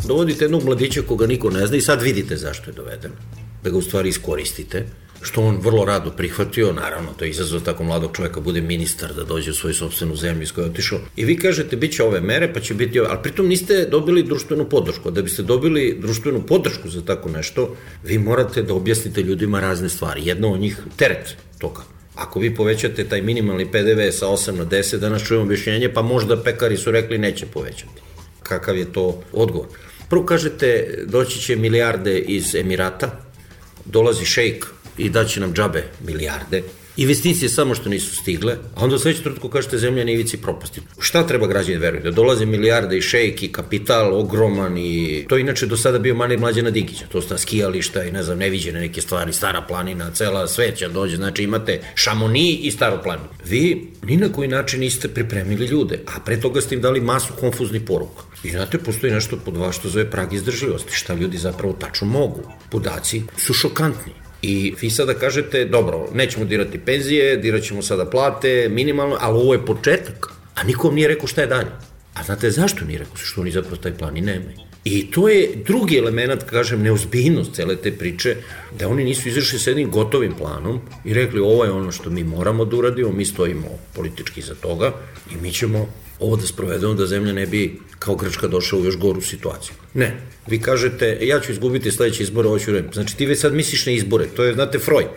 dovodite jednog mladića koga niko ne zna i sad vidite zašto je doveden, da ga u stvari iskoristite, što on vrlo rado prihvatio, naravno, to je izazov tako mladog čoveka, bude ministar, da dođe u svoju sopstvenu zemlju iz koje je otišao. I vi kažete, bit će ove mere, pa će biti ove, ali pritom niste dobili društvenu podršku. Da biste dobili društvenu podršku za tako nešto, vi morate da objasnite ljudima razne stvari. Jedno od njih, teret toga. Ako vi povećate taj minimalni PDV sa 8 na 10, danas čujemo objašnjenje, pa možda pekari su rekli neće povećati. Kakav je to odgovor? Prvo kažete, doći će milijarde iz Emirata, dolazi šejk i daće nam džabe milijarde, investicije samo što nisu stigle, a onda u sledećem trenutku kažete zemlja na ivici propasti. Šta treba građani veruju? Da dolaze milijarde i šejk i kapital ogroman i to inače do sada bio manir Mlađana Dinkića, to sta skijališta i ne znam, neviđene neke stvari, Stara planina, cela svet će dođe, znači imate Šamoni i Staru planinu. Vi ni na koji način niste pripremili ljude, a pre toga ste im dali masu konfuznih poruka. I znate, postoji nešto pod vas što zove prag izdržljivosti, šta ljudi zapravo tačno mogu. Podaci su šokantni. I vi sada kažete, dobro, nećemo dirati penzije, dirat ćemo sada plate, minimalno, ali ovo je početak. A nikom nije rekao šta je dalje. A znate zašto nije rekao? Što oni zapravo taj plan i nemaju. I to je drugi element, kažem, neozbiljnost cele te priče, da oni nisu izašli s jednim gotovim planom i rekli ovo je ono što mi moramo da uradimo, mi stojimo politički za toga i mi ćemo ovo da sprovedemo da zemlja ne bi kao Grčka došla u još goru situaciju. Ne, vi kažete, ja ću izgubiti sledeće izbore, ovo ću reći. Znači ti već sad misliš na izbore, to je, znate, Freud.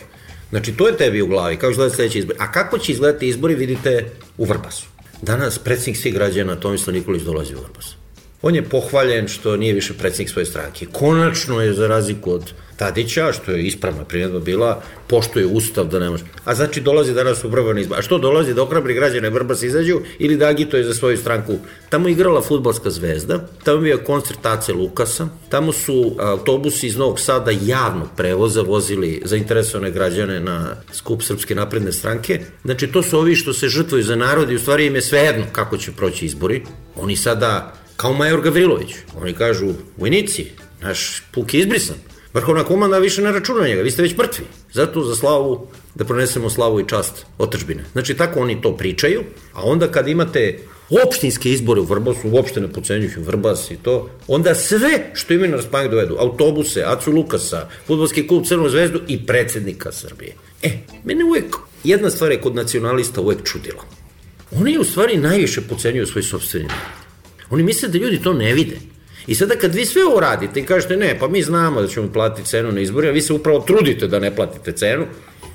Znači to je tebi u glavi, kako će izgledati sledeće izbore. A kako će izgledati izbori vidite u Vrbasu. Danas predsjednik svih građana Tomislav Nikolić dolazi u Vrbas. On je pohvaljen što nije više predsjednik svoje stranke. Konačno je, za razliku od Tadića, što je ispravna primjedba bila, poštuje ustav da ne može. A znači dolazi danas u Vrbas na izbor. A što dolazi? Da ohrabri građane Vrbas izađu ili da agituje za svoju stranku? Tamo igrala fudbalska zvezda, tamo je bio koncert Ace Lukasa, tamo su autobusi iz Novog Sada javnog prevoza vozili zainteresovane građane na skup Srpske napredne stranke. Znači to su ovi što se žrtvuju za narod i u stvari im je svejedno kako će proći izbori. Oni sada, kao Major Gavrilović, oni kažu, vojnici, naš puk je izbrisan. Vrhovna komanda više ne računa njega, vi ste već mrtvi. Zato za slavu, da pronesemo slavu i čast otadžbine. Znači tako oni to pričaju, a onda kad imate opštinske izbore u Vrbasu, uopšte ne podcenjujući Vrbas i to, onda sve što imaju na raspolaganju dovedu, autobuse, Acu Lukasa, fudbalski klub Crvenu zvezdu i predsednika Srbije. Mene uvek, jedna stvar je kod nacionalista uvek čudila. Oni u stvari najviše podcenjuju svoj sopstveni narod. Oni misle da ljudi to ne vide. I sada kad vi sve ovo radite i kažete ne, pa mi znamo da ćemo platiti cenu na izborima, vi se upravo trudite da ne platite cenu,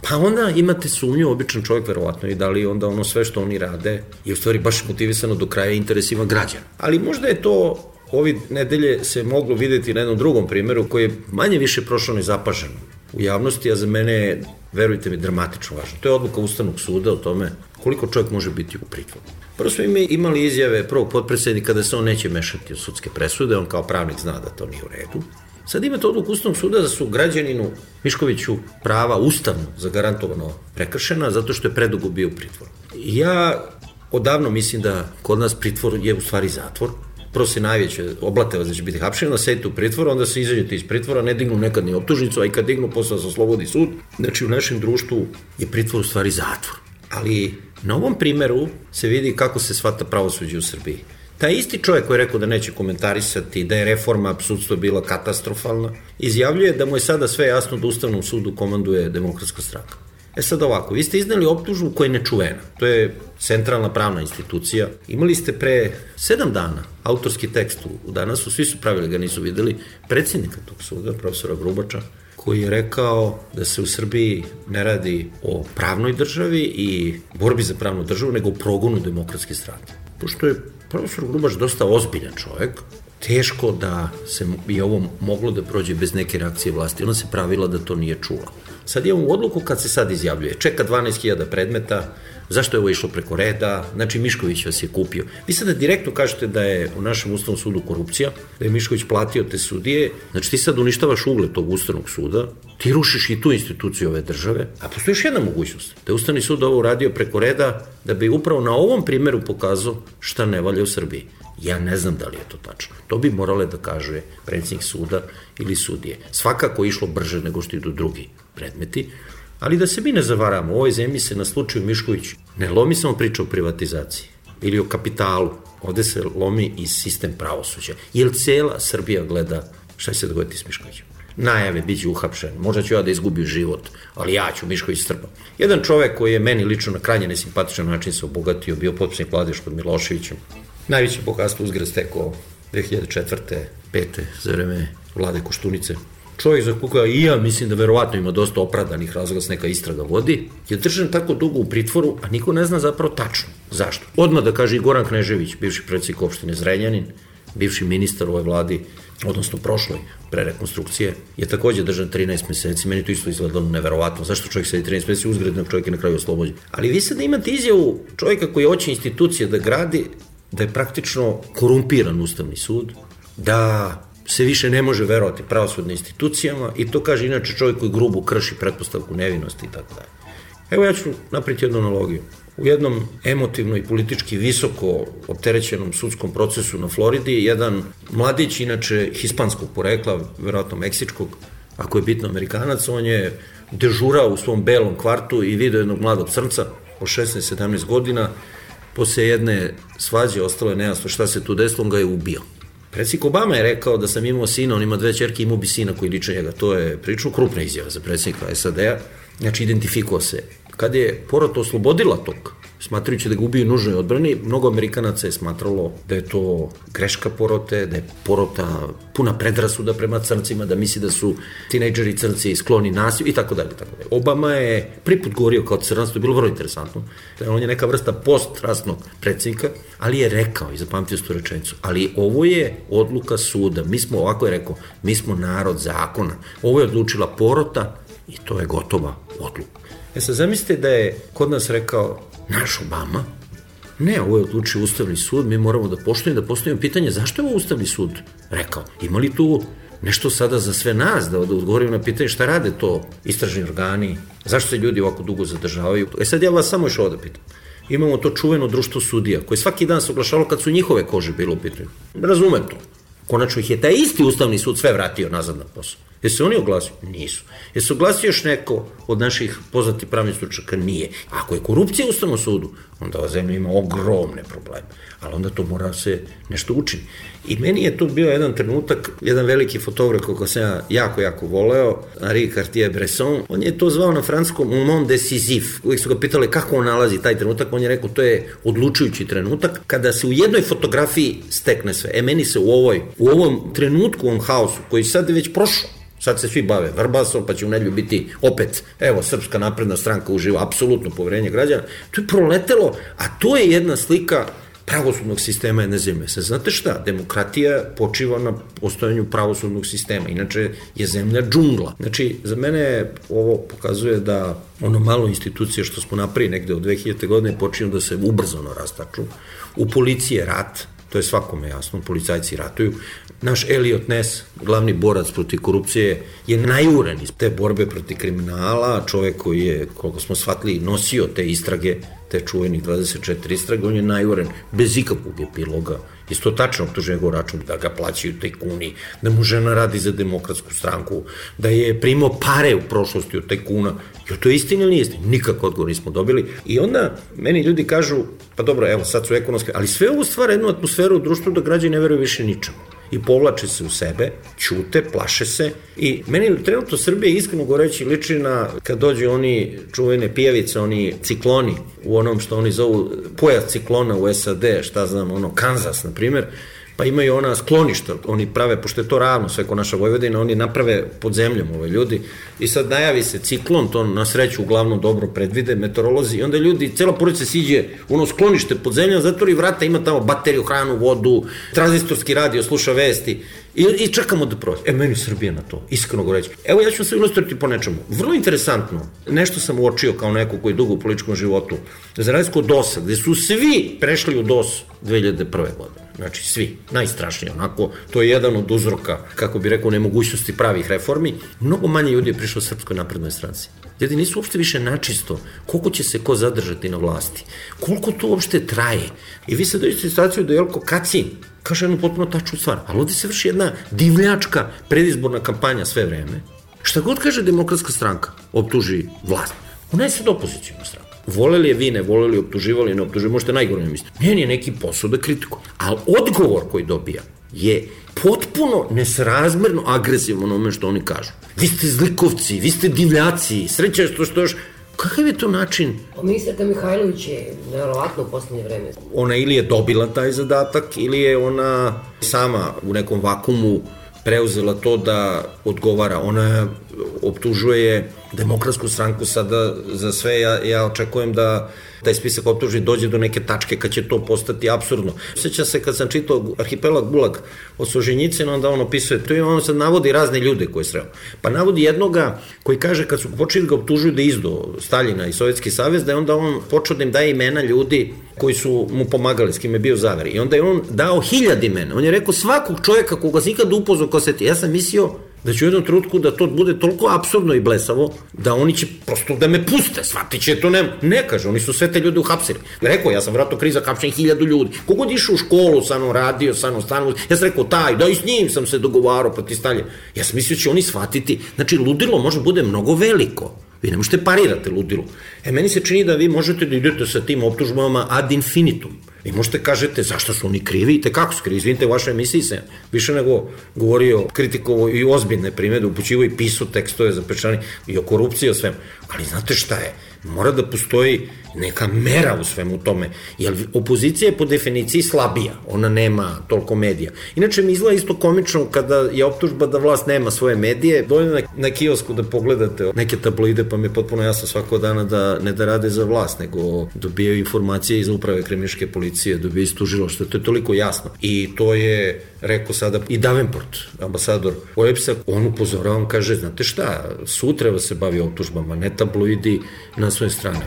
pa onda imate sumnju, običan čovjek verovatno i da li onda ono sve što oni rade je u stvari baš motivisano do kraja interesima građana. Ali možda je to ovi nedelje se moglo videti na jednom drugom primjeru koji je manje više prošao nezapaženo u javnosti, a za mene je, verujte mi, dramatično važno. To je odluka Ustavnog suda o tome koliko čovjek može biti u pritvoru. Prvo smo imali izjave prvog potpredsjednika da se on neće mešati u sudske presude, on kao pravnik zna da to nije u redu. Sad imate odluku Ustavnog suda da su građaninu Miškoviću prava ustavno zagarantovano prekršena zato što je predugo bio u pritvoru. Ja odavno mislim da kod nas pritvor je u stvari zatvor. Prvo se najveće oblate vas da će biti hapšeni, onda sedite u pritvoru, onda se izađete iz pritvora, ne dignu nekad ni optužnicu, a i kad dignu posle se oslobodi sud. Znači u našem društvu je pritvor u stvari zatvor. Ali na ovom primeru se vidi kako se shvata pravosuđe u Srbiji. Taj isti čovjek koji je rekao da neće komentarisati, da je reforma sudstva bila katastrofalna, izjavljuje da mu je sada sve jasno da Ustavnom sudu komanduje Demokratska stranka. Sad ovako, vi ste izneli optužbu koja je nečuvena. To je centralna pravna institucija. Imali ste pre 7 dana autorski tekst u Danasu, svi su pravili, ga nisu videli, predsjednika tog suda, profesora Grubača, koji je rekao da se u Srbiji ne radi o pravnoj državi i borbi za pravnu državu, nego o progonu Demokratske stranke. Pošto je profesor Grubač dosta ozbiljan čovjek, teško da se je ovo moglo da prođe bez neke reakcije vlasti. Ona se pravila da to nije čula. Sad imamo odluku kad se sad izjavljuje. Čeka 12.000 predmeta, zašto je ovo išlo preko reda, znači Mišković vas je kupio. Vi sada direktno kažete da je u našem Ustavnom sudu korupcija, da je Mišković platio te sudije, znači ti sad uništavaš ugled tog Ustavnog suda, ti rušiš i tu instituciju ove države, a postoji još jedna mogućnost, da je Ustavni sud ovo uradio preko reda, da bi upravo na ovom primjeru pokazao šta ne valja u Srbiji. Ja ne znam da li je to tačno. To bi morale da kaže predsjednik suda ili sudije. Svakako je išlo brže nego što idu drugi predmeti, ali da se mi ne zavaramo, u ovoj zemlji se na slučaju Mišković ne lomi samo priča o privatizaciji. ili o kapitalu. Ovde se lomi i sistem pravosuđa. Jer cela Srbija gleda šta će se dogoditi s Miškovićem. Najave, bit će uhapšen, možda ću ja da izgubim život, ali ja ću Mišković strpam. Jedan čovek koji je meni lično na krajnje nesimpatičan način se obogatio, bio potpisnik vlade pod Miloševićem. Najveće bogatstvo uzgred stekao 2004. 5. za vreme vlade Koštunice. Čovjek za koga i ja mislim da verovatno ima dosta opravdanih razloga da se neka istraga vodi, je držan tako dugo u pritvoru, a niko ne zna zapravo tačno. Zašto? Odmah da kaže i Goran Knežević, bivši predsjednik opštine Zrenjanin, bivši ministar u ovoj vladi, odnosno prošloj, pre rekonstrukcije, je takođe držan 13 meseci. Meni to isto izgledalo neverovatno. Zašto čovjek sedi 13 meseci, uzgrednog čovjek je na kraju oslobođen. Ali vi sad imate izjavu čovjeka koji hoće institucije da gradi, da je praktično korumpiran Ustavni sud, da se više ne može verovati pravosudnim institucijama i to kaže inače čovjek koji grubo krši pretpostavku nevinosti i tako dalje. Evo ja ću napraviti jednu analogiju. U jednom emotivno i politički visoko opterećenom sudskom procesu na Floridi, jedan mladić, inače hispanskog porekla, verovatno meksičkog, ako je bitno Amerikanac, on je dežurao u svom belom kvartu i video jednog mladog crnca od 16-17 godina, posle jedne svađe ostalo je nejasno šta se tu desilo, on ga je ubio. Predsjednik Obama je rekao da sam imao sina, on ima 2 ćerke, imao bi sina koji liče njega. To je prilično krupna izjava za predsjednika SAD-a. Znači, identifikovao se. Kad je porota oslobodila tog, smatrajući da ga ubiju u nužnoj odbrani, mnogo Amerikanaca je smatralo da je to greška porote, da je porota puna predrasuda prema crncima, da misli da su tinejdžeri crnci skloni nasilju i tako dalje. Obama je prvi put govorio kao crnac, to je bilo vrlo interesantno. On je neka vrsta postrasnog predsjednika, ali je rekao, i zapamtio tu rečenicu, ali ovo je odluka suda, mi smo, ovako je rekao, mi smo narod zakona, ovo je odlučila porota i to je gotova odluka. Sad zamislite da je kod nas rekao naš Obama, ne, ovo je odlučio Ustavni sud, mi moramo da postavimo pitanje zašto je ovo Ustavni sud rekao. Ima li tu nešto sada za sve nas da odgovorimo na pitanje šta rade to istražni organi, zašto se ljudi ovako dugo zadržavaju. Sad ja vas samo još ovo da pitam. Imamo to čuveno društvo sudija koje svaki dan se oglašavalo kad su njihove kože bilo u pitanju. Razumem to. Konačno ih je taj isti Ustavni sud sve vratio nazad na posao. Jesu se oni oglasili? Nisu. Jesu se oglasio još neko od naših poznatih pravnih stručnjaka? Nije. Ako je korupcija u Ustavnom sudu, onda ova zemlja ima ogromne probleme. Ali onda to mora se nešto učini. I meni je to bio jedan trenutak, jedan veliki fotograf koga sam ja jako voleo, Henri Cartier-Bresson, on je to zvao na francuskom moment décisif. Uvijek su ga pitali kako on nalazi taj trenutak, on je rekao to je odlučujući trenutak, kada se u jednoj fotografiji stekne sve. Meni se u ovom trenutku, u ovom haosu, koji sad je već prošao, sad se svi bave Vrbasom, pa će u nedelju biti opet, evo, Srpska napredna stranka uživa apsolutno poverenje građana. To je proletelo, a to je jedna slika pravosudnog sistema jedne zemlje. Sad, znate šta? Demokratija počiva na postojanju pravosudnog sistema. Inače je zemlja džungla. Znači, za mene ovo pokazuje da ono malo institucije što smo napravili negde od 2000. godine počinju da se ubrzano rastaču. U policiji je rat, to je svakome jasno, policajci ratuju. Naš Elliot Ness, glavni borac protiv korupcije, je najuren iz te borbe protiv kriminala, čovek koji je, koliko smo shvatili, nosio te istrage, te čuvenih 24 istrage, on je najuren, bez ikakvog epiloga. Isto tačno optužuje njegov račun da ga plaćaju tajkuni, da mu žena radi za Demokratsku stranku, da je primao pare u prošlosti od tajkuna. Jo, to je istina ili nije istina? Nikako odgovor nismo dobili. I onda meni ljudi kažu, pa dobro, evo sad su ekonomske, ali sve ovo stvara jednu atmosferu u društvu da građani ne veruju više ničemu. I povlače se u sebe, ćute, plaše se i meni trenutno Srbija iskreno govoreći liči na kad dođu oni čuvene pijavice, oni cikloni u onom što oni zovu pojas ciklona u SAD, šta znam, ono Kansas na primjer, pa imaju ona skloništa, oni prave, pošto je to ravno sve ko naša Vojvodina, oni naprave pod zemljom ove ljudi i sad najavi se ciklon, to na sreću uglavnom dobro predvide meteorolozi i onda ljudi, cela porodica siđe u ono sklonište pod zemljom, zatvori vrata, ima tamo bateriju, hranu, vodu, tranzistorski radio, sluša vesti i čekamo da prođe. Meni Srbija na to, iskreno govoreći. Evo ja ću se ilustrirati po nečemu. Vrlo interesantno, nešto sam uočio kao neko koji je dugo u političkom životu, za razliku od DOS-a, gde su svi prešli u DOS 2001. godine. Znači svi, najstrašnije onako, to je jedan od uzroka, kako bi rekao, nemogućnosti pravih reformi. Mnogo manje ljudi je prišlo Srpskoj naprednoj stranci. Ljudi nisu uopšte više načisto koliko će se ko zadržati na vlasti, koliko to uopšte traje. I vi sad dođete situaciju da Jelko Kacin kaže jednu potpuno tačnu stvar, ali ovdje se vrši jedna divljačka predizborna kampanja sve vreme. Šta god kaže Demokratska stranka, optuži vlast. Ona je sad opozicijna stranka. Voleli je vi, ne voleli, optuživali, ne optuživali, možete najgore ne misliti. Njen je neki posao da kritikuje. Ali odgovor koji dobija je potpuno nesrazmerno agresivno onome što oni kažu. Vi ste zlikovci, vi ste divljaci, sreća što još... Kakav je to način? Ministarka Mihajlović je nevjerovatno u poslednje vreme. Ona ili je dobila taj zadatak, ili je ona sama u nekom vakumu preuzela to da odgovara. Ona optužuje Demokratsku stranku sada za sve. Ja očekujem da taj spisak optužbi dođe do neke tačke kad će to postati apsurdno. Sjeća se kad sam čitao Arhipelag Gulag od Solženjicina, onda on opisuje, to je on sad navodi razne ljude koje sreo. Pa navodi jednoga koji kaže kad su počeli ga optužuju da izdo Staljina i Sovjetski savez, da je onda on počeo da im daje imena ljudi koji su mu pomagali, s kim je bio zaver. I onda je on dao 1000 imena. On je rekao svakog čovjeka koga se ikad upoznao ko se ti. Ja sam mislio da će u jednom trenutku da to bude toliko apsurdno i blesavo, da oni će prosto da me puste, shvatit će to, ne kaže, oni su sve te ljude uhapsili. Rekao, ja sam vratno kriza hapšenih 1000 ljudi. Kogod išao u školu, sa mnom radio, sa mnom stanu, ja sam rekao, da i s njim sam se dogovarao protiv Stalje. Ja sam mislio će oni shvatiti, znači ludilo može bude mnogo veliko. Vi ne možete parirati ludilu. Meni se čini da vi možete da idete sa tim optužbama ad infinitum. Vi možete kažete zašto su oni krivi i tekako su krivi. Izvinite, u vašoj emisiji se više nego govorio, kritikovo i ozbiljne primjede, upućivo i pisao tekstove zapečani i o korupciji i o svemu. Ali znate šta je? Mora da postoji neka mera u svemu tome, jer opozicija je po definiciji slabija, ona nema toliko medija. Inače mi izgleda isto komično kada je optužba da vlast nema svoje medije, dođe na kiosku da pogledate neke tabloide, pa mi je potpuno jasno svakog dana da ne da rade za vlast, nego dobijaju informacije iz uprave kriminalističke policije, dobijaju iz tužilaštva, to je toliko jasno. I to je rekao sada i Davenport, ambasador OEBS-a, on upozorava, on kaže, znate šta, sud treba se bavi optužbama, ne tabloidi na svoje strane.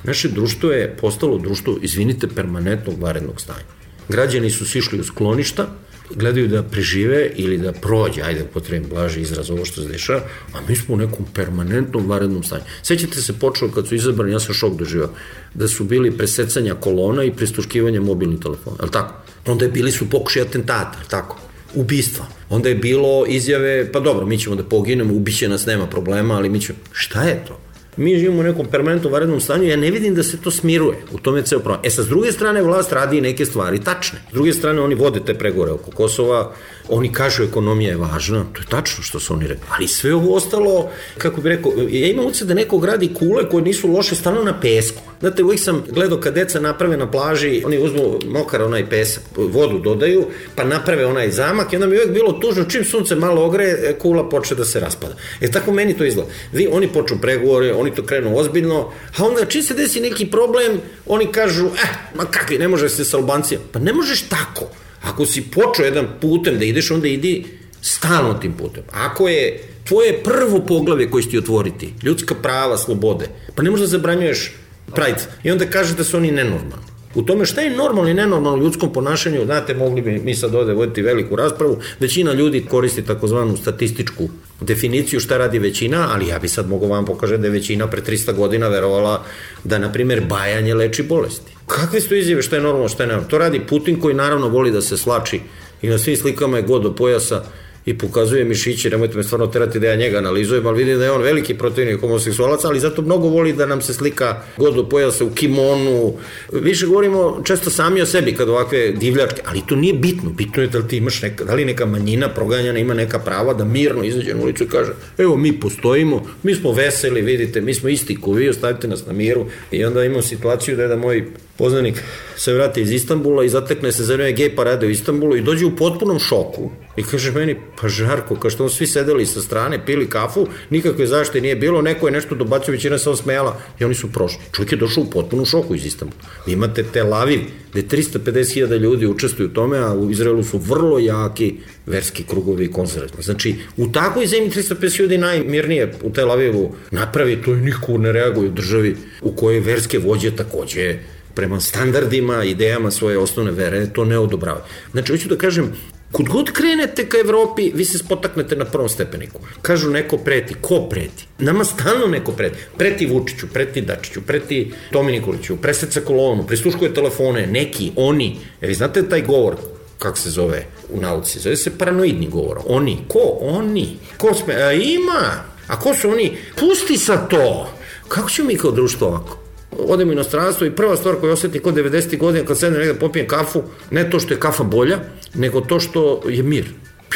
Naše društvo je postalo društvo, izvinite, permanentnog vanrednog stanja. Građani su sišli u skloništa, gledaju da prežive ili da prođe, ajde potrebno blaži izraz ovo što se dešava, a mi smo u nekom permanentnom vanrednom stanju. Sećate se, počelo kad su izabrani, ja sam šok doživao, da su bili presecanja kolona i prisluškivanja mobilnih telefona, je li tako? Onda je bili su pokušaj atentata, je li tako? Ubistva. Onda je bilo izjave, pa dobro, mi ćemo da poginemo, ubiće nas, nema problema, ali mi ćemo... Šta je to? Mi živimo u nekom permanentnom vanrednom stanju, ja ne vidim da se to smiruje. U tome je ceo problem. Sa s druge strane, vlast radi neke stvari tačne. S druge strane, oni vode te pregovore oko Kosova, oni kažu ekonomija je važna, to je tačno što su oni rekli. Ali sve ovo ostalo, kako bi rekao, ja imam utisak da neko gradi kule koje nisu loše, stano na pesku. Znate, uvijek sam gledao kad deca naprave na plaži, oni uzmu mokar onaj pesak, vodu dodaju, pa naprave onaj zamak i onda mi uvijek bilo tužno, čim sunce malo ogreje, kula počne da se raspada. Tako meni to izgleda. Oni počnu pregovore, oni to krenu ozbiljno, a onda čim se desi neki problem, oni kažu, ma kakvi, ne može se sa Albancijom. Pa ne možeš tako. Ako si počeo jedan putem da ideš, onda idi stalno tim putem. Ako je tvoje prvo poglavlje koje će ti otvoriti, ljudska prava, slobode, pa ne možeš da zabranjuješ Pride. I onda kažeš da su oni nenormalni. U tome šta je normalno i nenormalno u ljudskom ponašanju, znate, mogli bi mi sad ovde voditi veliku raspravu, većina ljudi koristi takozvanu statističku definiciju šta radi većina, ali ja bi sad mogo vam pokažem da je većina pre 300 godina verovala da, na primjer, bajanje leči bolesti. Kakve su to izjave šta je normalno, šta je nenormalno? To radi Putin koji naravno voli da se slači i na svim slikama je god do pojasa i pokazuje mišiće, nemojte me stvarno terati da ja njega analizujem, ali vidim da je on veliki protivnik homoseksualaca, ali zato mnogo voli da nam se slika god do pojasa u kimonu. Više govorimo često sami o sebi kad ovakve divljačke, ali to nije bitno. Bitno je da li ti imaš da li neka manjina proganjana ima neka prava da mirno izađe na ulicu i kaže, evo mi postojimo, mi smo veseli, vidite, mi smo isti ko vi, ostavite nas na miru. I onda imamo situaciju da je da moj poznanik se vrati iz Istanbula i zatekne se za vreme gej parade u Istanbulu i dođe u potpunom šoku i kaže meni, pa Žarko, kao što svi sedeli sa strane, pili kafu, nikakve zaštite nije bilo, neko je nešto dobacio, većina se osmejala i oni su prošli. Čovjek je došao u potpunom šoku iz Istanbula. Vi imate Tel Aviv, gde 350.000 ljudi učestvuju u tome, a u Izraelu su vrlo jaki verski krugovi i konzervativni. Znači, u takvoj zemlji 350 ljudi najmirnije u Tel Avivu napravi, to i niko ne reaguje u državi u kojoj verske vođe takođe prema standardima, idejama svoje osnovne vere, to ne odobrava. Znači, hoću da kažem, kud god krenete ka Evropi, vi se spotaknete na prvom stepeniku. Kažu neko preti. Ko preti? Nama stalno neko preti. Preti Vučiću, preti Dačiću, preti Tomi Nikoliću, preseca kolonu, prisluškuje telefone, neki, oni. Vi znate taj govor, kako se zove u nauci? Zove se paranoidni govor. Oni. Ko? Oni. Ko sme? Ima. A ko su oni? Pusti sad to! Kako ćemo mi kao društvo ovako? Odem u inostranstvo i prva stvar koju osjeti kod 90. godina kad sedem negdje popijem kafu, ne to što je kafa bolja, nego to što je mir.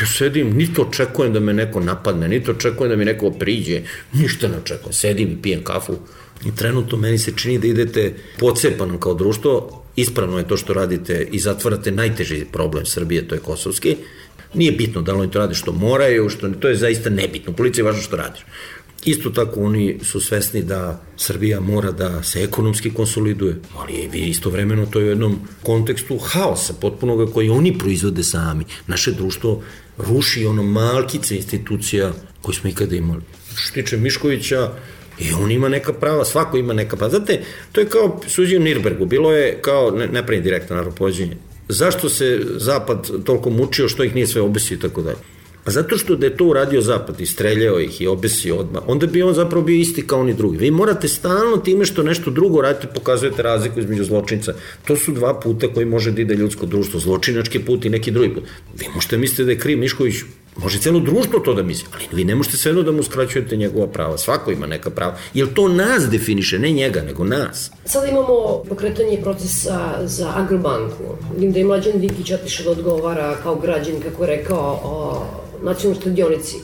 Ja sedim, niti očekujem da me neko napadne, niti očekujem da mi neko priđe, ništa ne očekujem. Sedim i pijem kafu i trenutno meni se čini da idete pocepanom kao društvo. Ispravno je to što radite i zatvarate najteži problem Srbije, to je kosovski. Nije bitno da li oni to rade što moraju, to je zaista nebitno. Policija je važno što radiš. Isto tako oni su svesni da Srbija mora da se ekonomski konsoliduje, ali vi istovremeno to je u jednom kontekstu haosa potpunoga koji oni proizvode sami. Naše društvo ruši ono malkice institucija koje smo ikada imali. Što tiče Miškovića, i on ima neka prava, svako ima neka prava. Znate, to je kao suđenje u Nirnbergu, bilo je kao, ne pravim direktno naravno pođenje, zašto se Zapad toliko mučio, što ih nije sve obesio i tako dalje. Pa zato što da je to uradio Zapad i streljao ih i obesio odmah, onda bi on zapravo bio isti kao oni drugi. Vi morate stalno time što nešto drugo radite, pokazujete razliku između zločinca. To su dva puta koji može da ide ljudsko društvo, zločinački put i neki drugi put. Vi možete misliti da je kriv Mišković, može cijelo društvo to da misli, ali vi ne možete svejedno da mu uskraćujete njegova prava. Svako ima neka prava, jer to nas definiše, ne njega, nego nas. Sada imamo pokretanje procesa za Agrobanku. Vidim da je Mlađan Dinkić otišao da odgovara kao građan, kako je rekao, o nacionalnoj štedionici.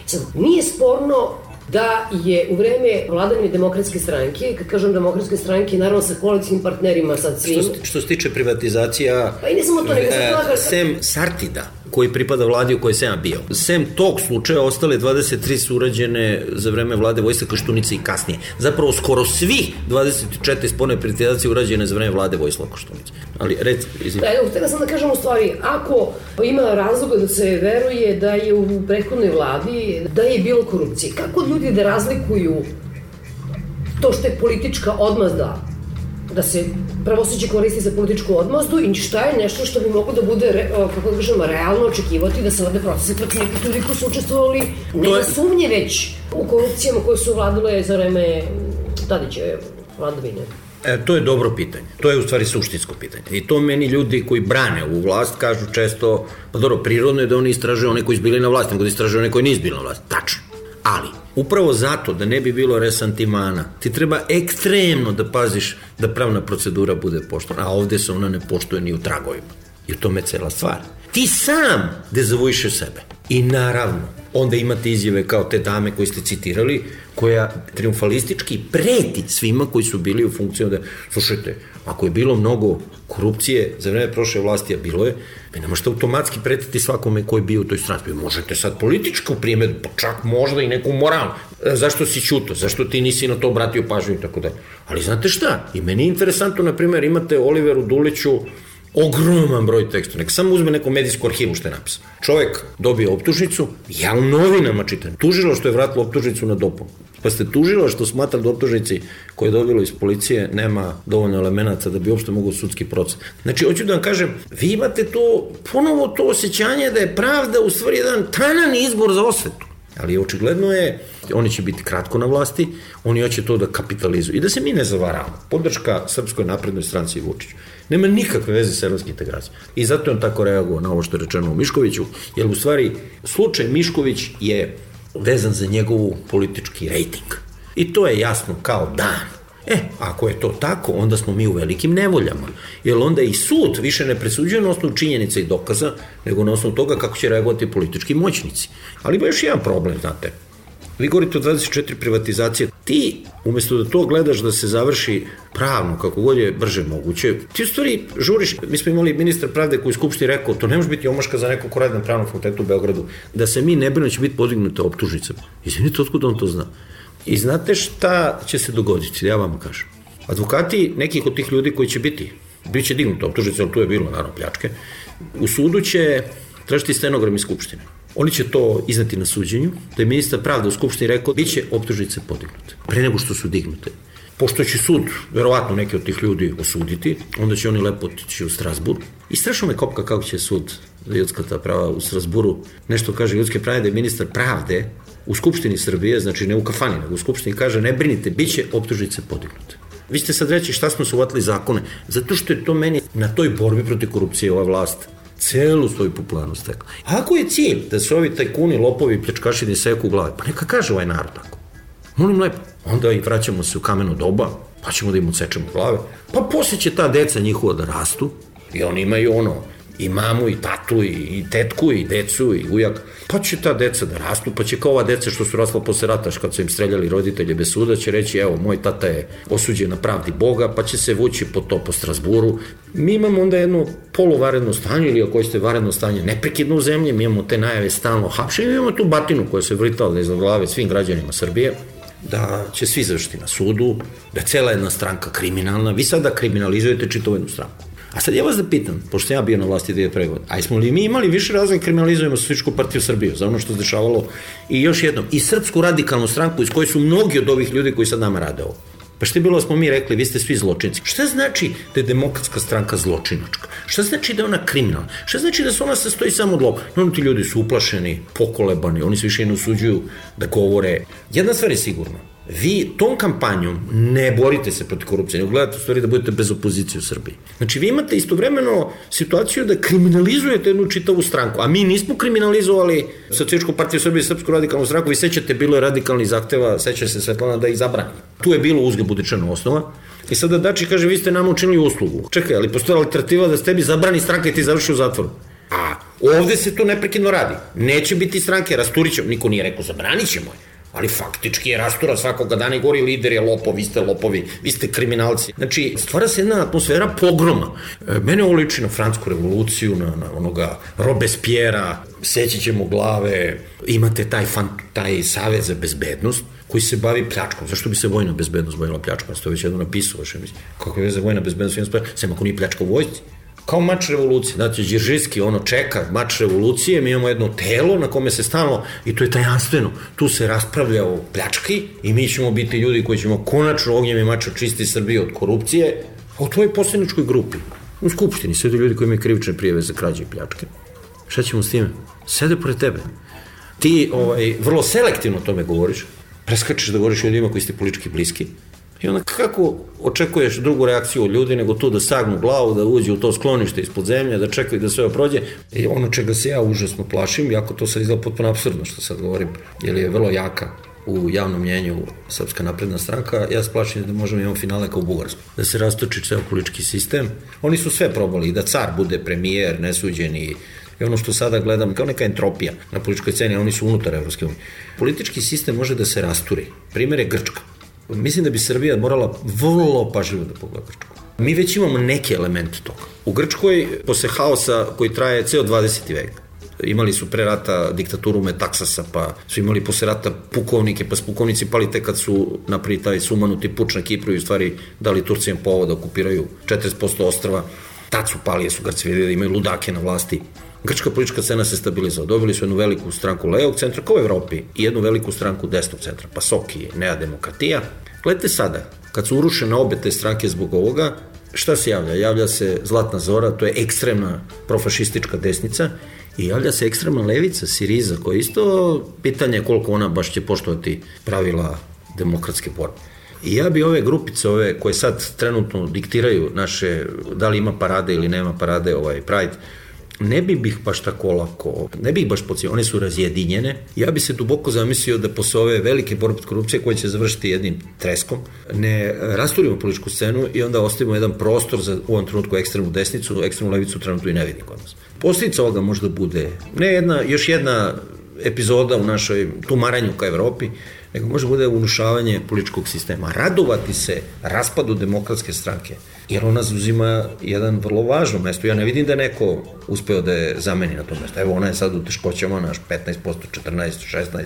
Sad, nije sporno da je u vreme vladavine Demokratske stranke, kad kažem Demokratske stranke, naravno sa koalicijnim partnerima, sad svim... Što se tiče privatizacija... Pa i ne samo to, nego sem Sartida, koji pripada vladi u kojoj sam ja bio. Sem tog slučaja ostale 23 su urađene za vreme vlade Vojislava Koštunice i kasnije. Zapravo skoro svi 24 spone privatizacije urađene za vreme vlade Vojislava Koštunice. Ali htjela sam da kažem u stvari, ako ima razloga da se veruje da je u prethodnoj vladi da je bilo korupcije, kako ljudi da razlikuju to što je politička odmazda, da se pravosuđe koristi za političku odmazdu i šta je nešto što bi moglo da bude, kako da kažem, realno očekivati da se vode procese protiv nekih ljudi koji su učestvovali nema sumnje već u korupcijama koje su vladale za vreme Tadićeve vladavine. To je dobro pitanje. To je u stvari suštinsko pitanje. I to meni ljudi koji brane ovu vlast kažu često, pa dobro, prirodno je da oni istražuju one koji su bili na vlasti, nego da istražuju one koji nisu bili na vlasti. Tačno. Ali, upravo zato da ne bi bilo resantimana, ti treba ekstremno da paziš da pravna procedura bude poštovana, a ovde se ona ne poštuje ni u tragovima. I u tome je cela stvar. Ti sam dezavuišeš sebe. I naravno, onda imate izjave kao te dame koje ste citirali, koja triumfalistički preti svima koji su bili u funkciji da, slušajte, ako je bilo mnogo korupcije za vreme prošle vlasti, a bilo je, vi ne možete automatski pretiti svakome koji je bio u toj stranci. Vi možete sad političku primjedbu, pa čak možda i neku moralnu. Zašto si ćuto? Zašto ti nisi na to obratio pažnju i tako dalje? Ali znate šta? I meni je interesantno, na primjer, imate Oliveru Duliću ogroman broj teksta, nek samo uzme neku medijsku arhivu što je napisao. Čovjek dobije optužnicu, ja u novinama čitam, tužilo što je vratilo optužnicu na dopunu. Pa ste tužilo što smatra da optužnici koje je dobilo iz policije nema dovoljno elemenata da bi uopšte mogao sudski proces. Znači, hoću da vam kažem, vi imate to, ponovo to osjećanje da je pravda u stvari jedan tanan izbor za osvetu. Ali očigledno je, oni će biti kratko na vlasti, oni hoće to da kapitalizuju. I da se mi ne zavaravamo. Podrška Srpskoj naprednoj stranci i Vučiću nema nikakve veze sa evropskim integracijom. I zato je on tako reagovao na ovo što je rečeno o Miškoviću, jer u stvari slučaj Mišković je vezan za njegovu politički rejting. I to je jasno kao dan. Ako je to tako, onda smo mi u velikim nevoljama. Jer onda i sud više ne presuđuje na osnovu činjenica i dokaza, nego na osnovu toga kako će reagovati politički moćnici. Ali ima još jedan problem, znate. Vi govorite o 24 privatizacije. Ti, umjesto da to gledaš da se završi pravno, kako god je brže moguće, ti u stvari žuriš. Mi smo imali ministra pravde koji je u Skupštini rekao, to ne može biti omaška za neko ko radi na pravnom fakultetu u Beogradu, da se mi ne brinu će biti podignuta optužnica. Izvinite, otkud on to zna? I znate šta će se dogoditi, ja vam kažem. Advokati nekih od tih ljudi koji će bit će dignuta optužnica, ali tu je bilo, naravno, pljačke, u sudu će tražiti stenogram iz Skupštine. Oni će to izneti na suđenju, da je ministar pravde u Skupštini rekao, bit će optužnice podignute, pre nego što su dignute. Pošto će sud, verovatno neki od tih ljudi osuditi, onda će oni lepo otići u Strasbur. I strašno me kopka kako će sud za ljudska ta prava u Strasburu nešto kaže ljudske prave, da je ministar pravde u Skupštini Srbije, znači ne u kafani, nego u Skupštini kaže, ne brinite, bit će optužnice podignute. Vi ste sad reći šta smo se uvatili zakone, zato što je to meni na toj borbi protiv korupcije ova vlast celu svoju popularnost stekla. A ako je cilj da se ovi tajkuni, lopovi, pljačkaši seku u glave, pa neka kaže ovaj narod tako. Molim lepo, onda i vraćamo se u kameno doba, pa ćemo da im odsečemo glave, pa poslije će ta deca njihova da rastu i oni imaju i mamu, i tatu, i tetku, i decu, i ujak, pa će ta deca da rastu, pa će kao ova deca što su rasla posle rata, kad su im streljali roditelje bez suda, će reći, evo, moj tata je osuđen na pravdi Boga, pa će se vući po Strasburu. Mi imamo onda jedno poluvaredno stanje, ili ako ćete varedno stanje, neprekidno u zemlji, mi imamo te najave stalno hapšenje, imamo tu batinu koja se vritala iza glave svim građanima Srbije, da će svi završiti na sudu, da je cela jedna stranka kriminalna, vi sada kriminalizujete čitavu jednu stranku. A sad ja vas da pitam, pošto sam ja bio na vlasti 2001. godine, a smo li mi imali više razloga kriminalizujemo Socijalističku partiju Srbije za ono što se dešavalo i još jednom, i Srpsku radikalnu stranku iz koje su mnogi od ovih ljudi koji sad nama rade ovo. Pa što je bilo da smo mi rekli, vi ste svi zločinci. Šta znači da je Demokratska stranka zločinačka? Šta znači da je ona kriminalna? Šta znači da se ona sastoji samo od lopova? No, ti ljudi su uplašeni, pokolebani, oni se više ne usuđuju da govore. Jedna stvar je sigurna. Vi tom kampanjom ne borite se protiv korupcije, nego gledate u stvari da budete bez opozicije u Srbiji. Znači, vi imate istovremeno situaciju da kriminalizujete jednu čitavu stranku, a mi nismo kriminalizovali Socijalističku partiju Srbije i Srpsku radikalnu stranku, vi sećate, bilo je radikalnih zahteva, seća se Svetlana da ih zabrani. Tu je bilo uzgred-budičana osnova. I sada Dačić kaže, vi ste nama učinili uslugu. Čekaj, ali postoje alternativa da se tebi zabrani stranka i ti završi u zatvoru. A ovde se to neprekidno radi. Neće biti stranke, rasturit ćemo. Niko nije rekao, zabranit ćemo je. Ali faktički je rastura svakoga dana i gori lider je lopov, vi ste lopovi, vi ste kriminalci. Znači, stvara se jedna atmosfera pogroma. Mene ovo liči na Francusku revoluciju, na onoga Robespiera, seći ćemo glave, imate taj savez za bezbednost koji se bavi pljačkom. Zašto bi se vojna bezbednost bavila pljačkom? Ste već jedno napisao, kako je veze vojna bezbednost, sem ako nije pljačka u vojsci. Kao mač revolucije, znači Điržiški čeka mač revolucije, mi imamo jedno telo na kome se stalno, i to je tajanstveno, tu se raspravlja o pljački i mi ćemo biti ljudi koji ćemo konačno ognjem i mačom čistiti Srbiju od korupcije, a u tvojoj poslaničkoj grupi, u Skupštini, sede ljudi koji imaju krivične prijave za krađe i pljačke. Šta ćemo s time? Sede pored tebe. Ti vrlo selektivno o tome govoriš, preskačeš da govoriš o ljudima koji ste politički bliski. I onda kako očekuješ drugu reakciju od ljudi nego tu da sagnu glavu, da uđe u to sklonište ispod zemlje, da čekaju da sve prođe. I ono čega se ja užasno plašim, jako to sad izgleda potpuno apsurdno što sad govorim, jer je vrlo jaka u javnom mjenju Srpska napredna stranka, ja se plašim da možemo imati finale kao u Bugarskoj, da se rastoči ceo politički sistem. Oni su sve probali, i da car bude premijer, nesuđeni, i ono što sada gledam kao neka entropija na političkoj sceni, oni su unutar Evropske unije. Politički sistem može da se rasturi. Primer je Grčka. Mislim da bi Srbija morala vrlo pažljivo da pogleda Grčku. Mi već imamo neke elemente toga. U Grčkoj, posle haosa koji traje ceo 20. vek, imali su pre rata diktaturu Metaksasa, pa su imali posle rata pukovnike, pa su pukovnici pali tek kad su napravili taj sumanuti puč na Kipru i u stvari dali Turcijama povod da okupiraju 40% ostrva. Tad su pali, jer su Grci vidjeli da imaju ludake na vlasti. Grčka politička scena se stabilizala. Dobili su jednu veliku stranku levog centra, kao u Evropi, i jednu veliku stranku desnog centra, Pasoki, Nea Demokratija. Gledajte sada, kad su urušene obe te stranke zbog ovoga, šta se javlja? Javlja se Zlatna Zora, to je ekstremna profašistička desnica, i javlja se ekstremna levica, Siriza, koja isto pitanje koliko ona baš će poštovati pravila demokratske borbe. I ja bi ove grupice, koje sad trenutno diktiraju naše, da li ima parade ili nema parade, Pride, ne bi ih baš tako lako, ne bi ih baš pocijelo, one su razjedinjene. Ja bi se duboko zamislio da posle ove velike borbe protiv korupcije koje će završiti jednim treskom, ne rasturimo političku scenu i onda ostavimo jedan prostor za u ovom trenutku ekstremnu desnicu, ekstremnu levicu trenutno i ne vidim kod nas. Posljedica ovoga možda bude ne još jedna epizoda u našoj tumaranju ka Evropi, nego može bude unušavanje političkog sistema. Radovati se raspadu demokratske stranke, jer ona zauzima jedan vrlo važno mesto. Ja ne vidim da neko uspeo da je zameni na to mesto. Evo, ona je sad u teškoćama, naš 15%, 14%, 16%,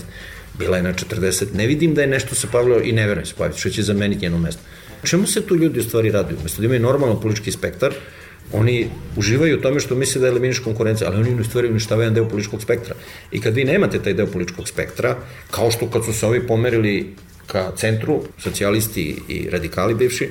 bila je na 40%. Ne vidim da je nešto se pavljalo i ne verujem se paviti, što će zameniti njeno mesto. Čemu se tu ljudi u stvari raduju? Mesto da imaju normalno politički spektar, oni uživaju u tome što misle da eliminiš konkurenciju, ali oni u stvari uništavaju jedan deo političkog spektra. I kad vi nemate taj deo političkog spektra, kao što kad su se ovi pomerili ka centru, socijalisti i radikali bivši,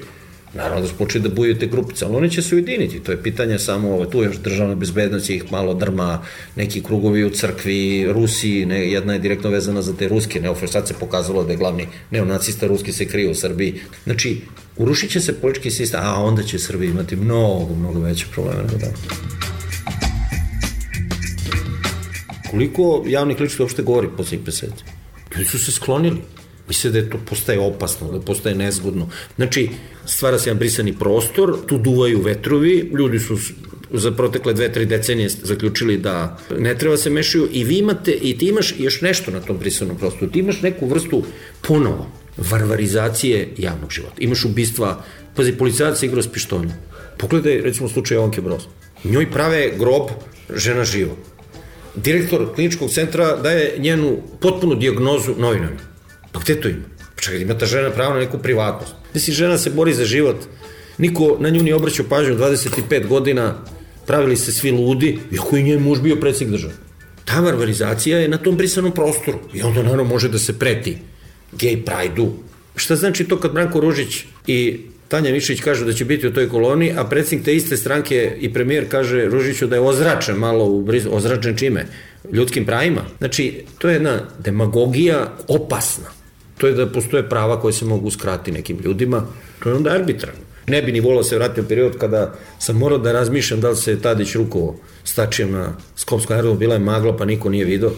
naravno da su počeli da bujaju te grupice, ali oni će se ujediniti. To je pitanje samo, tu još državna bezbednost ih malo drma, neki krugovi u crkvi, Rusi, jedna je direktno vezana za te ruske neofašiste, sad se pokazalo da je glavni neonacista ruski se krije u Srbiji. Znači, urušit će se politički sistem, a onda će Srbija imati mnogo veće probleme nego da. koliko javnih ličnosti uopšte govori poslednjih meseci? Ljudi su se sklonili. Misle da to postaje opasno, da postaje nezgodno. Znači, stvara se jedan brisani prostor, tu duvaju vetrovi, ljudi su za protekle 2-3 decenije zaključili da ne treba se mešaju i vi imate, i ti imaš još nešto na tom brisanom prostoru, ti imaš neku vrstu ponovo varvarizacije javnog života. Imaš ubistva, pazi, policajac se igra s pištoljem. Pogledaj, recimo, slučaj Jovanke Broz. Njoj prave grob, žena živa. Direktor kliničkog centra daje njenu potpunu dijagnozu novinarima. Pa gde to ima? Pa čekaj, ima ta žena pravo na neku privatnost. Mislim, žena se bori za život, niko na nju nije obraćao pažnju, 25 godina, pravili se svi ludi, iako je njen muž bio predsjednik države. Ta varvarizacija je na tom brisanom prostoru i onda naravno može da se preti gej prajdu. Šta znači to kad Branko Ružić i Tanja Mišćić kažu da će biti u toj koloni, a predsjednik te iste stranke i premijer kaže Ružiću da je ozračen malo, ozračen čime? Ljudskim pravima. Znači, to je jedna demagogija opasna. To je da postoje prava koje se mogu uskrati nekim ljudima. To je onda arbitrarno. Ne bi ni volao se vratiti u period kada sam morao da razmišljam da li se Tadić rukovao stačijem na Skopskom aerodromu, bila je magla pa niko nije vidio,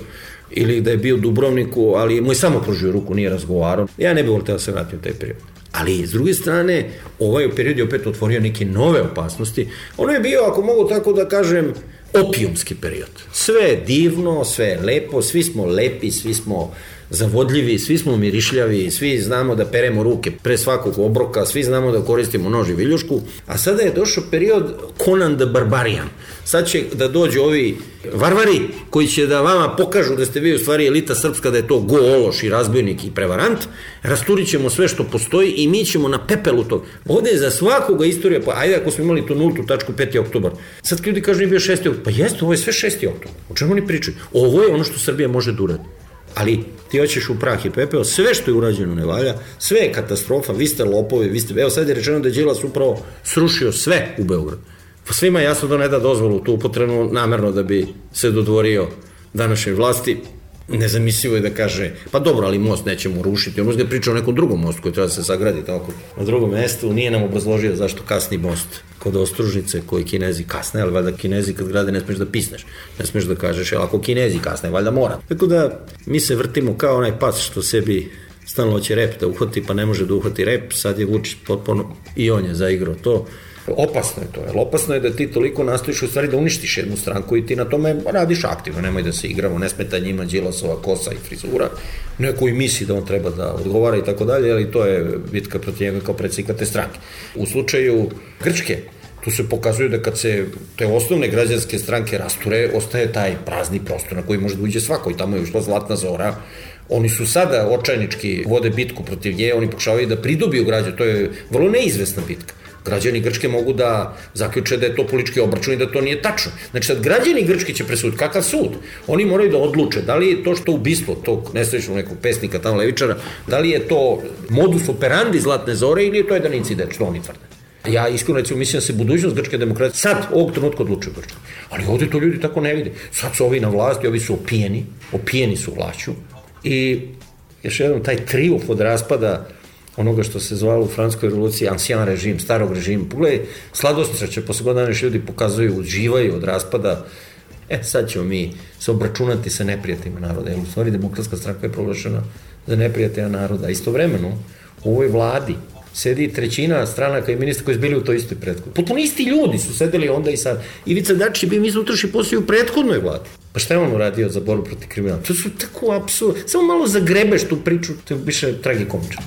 ili da je bio u Dubrovniku, ali mu je samo pružio ruku, nije razgovarao. Ja ne bih volio da se vratim u taj period. Ali, s druge strane, ovaj period je opet otvorio neke nove opasnosti. Ono je bio, ako mogu tako da kažem, opijumski period. Sve je divno, sve je lepo, svi smo lepi, svi smo zavodljivi, svi smo mirišljavi, svi znamo da peremo ruke pre svakog obroka, svi znamo da koristimo nož i viljušku, a sada je došao period Conan the Barbarian. Sad će da dođu ovi varvari koji će da vama pokažu da ste vi u stvari elita srpska, da je to go ološ i razbojnik i prevarant, rasturit ćemo sve što postoji i mi ćemo na pepelu tog. Ovde je za svakoga istorija, pa ajde ako smo imali tu nultu tačku 5. oktobar, sad kad ljudi kažu nije bio 6. oktobar, pa jeste, ovo je sve 6. oktobar, o čemu oni pričaju? Ovo je ono što Srbija može da uradi. Ali ti hoćeš u prah i pepeo, sve što je urađeno ne valja, sve je katastrofa, vi ste lopovi, vi ste... Evo sad je rečeno da je Đilas upravo srušio sve u Beogradu. Pa svima je jasno da ne da dozvolu tu upotrebnu namerno da bi se dodvorio današnjoj vlasti. Nezamislivo je da kaže, pa dobro, ali most nećemo rušiti. On možda je pričao o nekom drugom mostu koji treba da se sagradi tako na drugom mestu. Nije nam obrazložio zašto kasni most kod Ostružnice koji Kinezi kasne, ali valjda Kinezi kad grade ne smeš da pisneš, ne smeš da kažeš, ali ako Kinezi kasne, valjda mora. Tako da mi se vrtimo kao onaj pas što sebi stalno hoće rep da uhvati, pa ne može da uhvati rep, sad je Vučić potpuno i on je zaigrao to. Opasno je to, jer opasno je da ti toliko nastojiš u stvari da uništiš jednu stranku i ti na tome radiš aktivno, nemoj da se igramo, ne smeta njima Đilasova kosa i frizura, neko i misli da on treba da odgovara i tako dalje, ali to je bitka protiv njega kao predsjednika te stranke. U slučaju Grčke, tu se pokazuje da kad se te osnovne građanske stranke rasture, ostaje taj prazni prostor na koji može da uđe svako i tamo je ušla Zlatna Zora. Oni su sada očajnički vode bitku protiv nje, oni pokušavaju da pridobiju građane, to je vrlo neizvesna bitka. Građani Grčke mogu da zaključe da je to politički obračun i da to nije tačno. Znači sad građani Grčke će presuditi. Kakav sud? Oni moraju da odluče da li je to što ubistvo tog nesrećnog nekog pesnika tamo levičara, da li je to modus operandi Zlatne Zore ili je to jedan incident, što oni tvrde. Ja iskreno recimo mislim da se budućnost grčke demokratije sad ovog trenutka odlučuje Grčka. Ali ovde to ljudi tako ne vide. Sad su ovi na vlasti, ovi su opijeni su vlašću i još jednom taj trijumf od raspada onoga što se zvalo u Francuskoj revoluciji ancien režim, starog režima. Pogledaj, sladostraće, posle godina ljudi pokazuju, uživaju od raspada. Sad ćemo mi se obračunati sa neprijateljima naroda. Jer u stvari Demokratska stranka je proglašena za neprijatelja naroda. Istovremeno, u ovoj vladi sedi trećina stranaka i ministra koji su bili u toj istoj prethodnoj. Potpuno isti ljudi su sedeli onda i sad. Ivica Dačić je bio mislim utroši posao u prethodnoj vladi. Pa šta je on uradio za borbu protiv kriminala? To su tako apsurd. Samo malo zagrebeš tu priču, to je više tragikomično.